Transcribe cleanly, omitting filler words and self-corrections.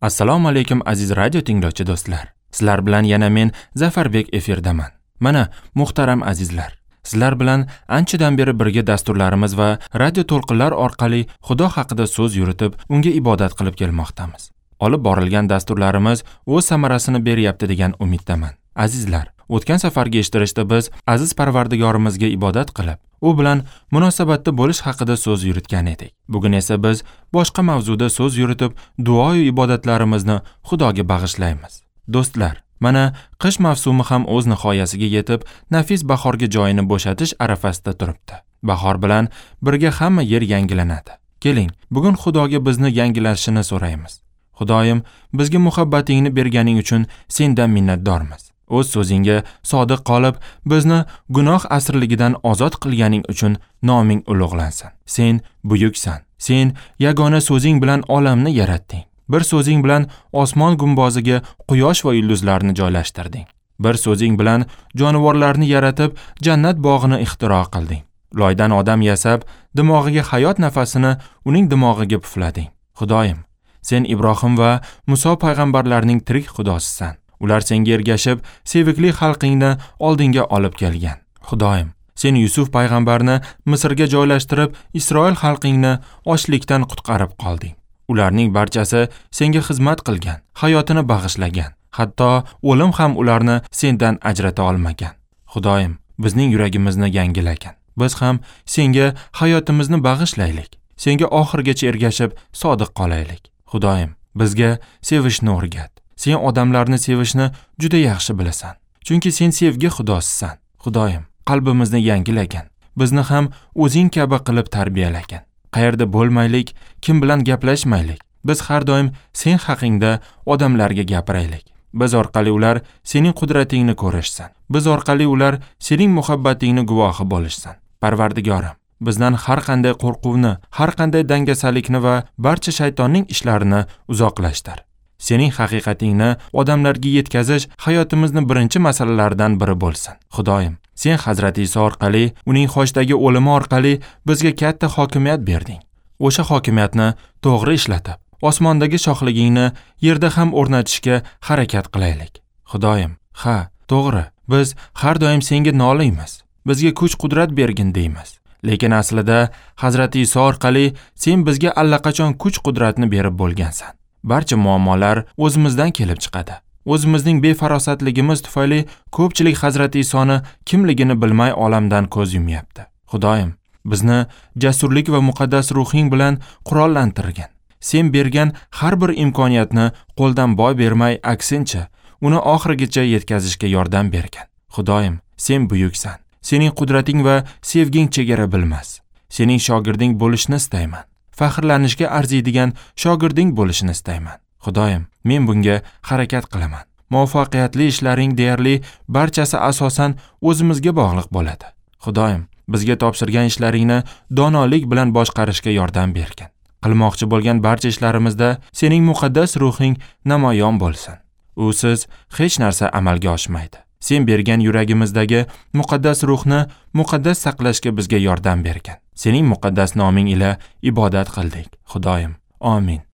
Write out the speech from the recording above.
Assalomu alaykum aziz radio tinglovchi do'stlar. Sizlar bilan yana men Zafarbek efirdaman. Mana muhtaram azizlar, sizlar bilan anchadan beri birga dasturlarimiz va radio to'lqinlar orqali Xudo haqida so'z yuritib, unga ibodat qilib kelmoqdamiz. Olib borilgan dasturlarimiz o'z samarasini beryapti degan umiddaman. Azizlar, o'tgan safargi eshittirishda biz aziz Parvardigorimizga ibodat qilib, u bilan munosabatda bo'lish haqida so'z yuritgan edik. Bugun esa biz boshqa mavzuda so'z yuritib, duo va ibodatlarimizni Xudoga bag'ishlaymiz. Do'stlar, mana qish mavsumi ham o'z nihoyasiga yetib, nafis bahorga joyini bo'shatish arafasida turibdi. Bahor bilan birga hamma yer yangilanadi. Keling, bugun Xudoga bizni yangilashini so'raymiz. Xudoyim, bizga muhabbatingni berganing uchun sendan minnatdormiz. O'z so'zingga sodiq qolib, bizni gunoh asirligidan ozod qilganing uchun noming ulug'lansin. Sen buyuksan. Sen yagona so'zing bilan olamni yaratding. Bir so'zing bilan osmon gumboziga quyosh va yulduzlarni joylashtirding. Bir so'zing bilan jonivorlarni yaratib, jannat bog'ini ixtiro qilding. Loydan odam yasab, dimog'iga hayot nafasini uning dimog'iga puflading. Xudoyim, sen Ibrohim va Muso payg'ambarlarning tirik xudosisan. Ular senga ergashib, sevikli xalqingni oldinga olib kelgan. Xudoyim, sen Yusuf payg'ambarni Misrga joylashtirib, Isroil xalqingni ochlikdan qutqarib qolding. Ularning barchasi senga xizmat qilgan, hayotini bag'ishlagan. Hatto o'lim ham ularni sendan ajrata olmagan. Xudoyim, bizning yuragimizni yangilagan. Biz ham senga hayotimizni bag'ishlaylik. Senga oxirigacha ergashib, sodiq qolaylik. Xudoyim, bizga sevishni o'rgat. Sen odamlarni sevishni juda yaxshi bilasan. Chunki sen sevgi xudosisan. Xudoyim, qalbimizni yangilagan. Bizni ham o'zing kabi qilib tarbiyalagan. Qayerda bo'lmaylik, kim bilan gaplashmaylik. Biz har doim sen haqingda odamlarga gapiraylik. Biz orqali ular sening qudratingni ko'rishsin. Biz orqali ular sening muhabbatingni guvohi bo'lishsin. Parvardigorim, bizdan har qanday qo'rquvni, har qanday dangasalikni va barcha shaytonning ishlarini uzoqlashtir. Sening haqiqatingni odamlarga yetkazish hayotimizni birinchi masalalaridan biri bo'lsin. Xudoyim, sen Hazrati Iso orqali, uning xochdagi o'limi orqali bizga katta hokimiyat berding. O'sha hokimiyatni to'g'ri ishlatib, osmondagi shohligingni yerda ham o'rnatishga harakat qilaylik. Xudoyim, ha, to'g'ri, biz har doim senga noliymiz. Bizga kuch-qudrat bergin deymiz. Lekin aslida Hazrati Iso orqali sen bizga allaqachon kuch-qudratni berib bo'lgansan. Barcha muammolar o'zimizdan kelib chiqadi. O'zimizning befarosatligimiz tufayli ko'pchilik Hazrati Isoni kimligini bilmay olamdan ko'z yumyapti. Xudoyim, bizni jasurlik va muqaddas ruhing bilan qurollantirgin. Sen bergan har bir imkoniyatni qo'ldan boy bermay, aksincha, uni oxirigacha yetkazishga yordam bergin. Xudoyim, sen buyuksan. Sening qudrating va sevging chegara bilmas. Sening shogirding bo'lishni istayman. Faxrlanishga arziydigan shogirding bo'lishini istayman. Xudoyim, men bunga harakat qilaman. Muvaffaqiyatli ishlaring deyarli barchasi asosan o'zimizga bog'liq bo'ladi. Xudoyim, bizga topshirgan ishlaringni donolik bilan boshqarishga yordam bergin. Qilmoqchi bo'lgan barcha ishlarimizda sening muqaddas ruhing namoyon bo'lsin. Usiz hech narsa amalga oshmaydi. Sen bergan yuragimizdagi muqaddas ruhni muqaddas saqlashga bizga yordam bergin. Sening muqaddas noming ila ibodat qildik, Xudoyim. Amin.